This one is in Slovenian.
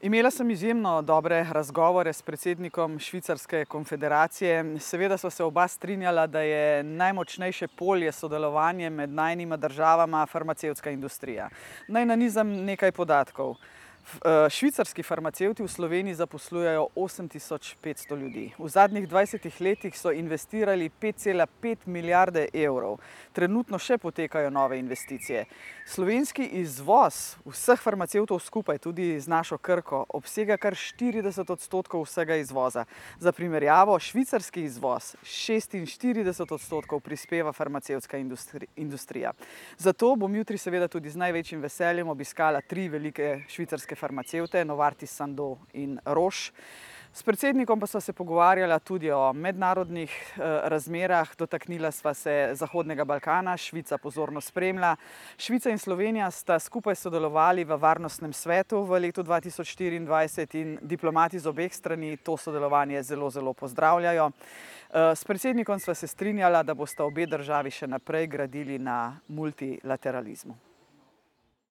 Imela sem izjemno dobre razgovore s predsednikom Švicarske konfederacije. Seveda sva se oba strinjala, da je najmočnejše polje sodelovanje med najinima državama farmacevtska industrija. Naj nanizam nekaj podatkov. Švicarski farmacevti v Sloveniji zaposlujejo 8500 ljudi. V zadnjih 20 letih so investirali 5,5 milijarde evrov. Trenutno še potekajo nove investicije. Slovenski izvoz vseh farmacevtov skupaj, tudi z našo Krko, obsega kar 40% vsega izvoza. Za primerjavo, švicarski izvoz 46% prispeva farmacevtska industrija. Zato bom jutri seveda tudi z največjim veseljem obiskala 3 velike švicarske farmacevte, Novartis, Sandoz in Roche. S predsednikom pa sva se pogovarjala tudi o mednarodnih razmerah, dotaknila sva se Zahodnega Balkana, Švica pozorno spremlja. Švica in Slovenija sta skupaj sodelovali v Varnostnem svetu v letu 2024 in diplomati z obeh strani to sodelovanje zelo pozdravljajo. S predsednikom sva se strinjala, da bosta obe državi še naprej gradili na multilateralizmu.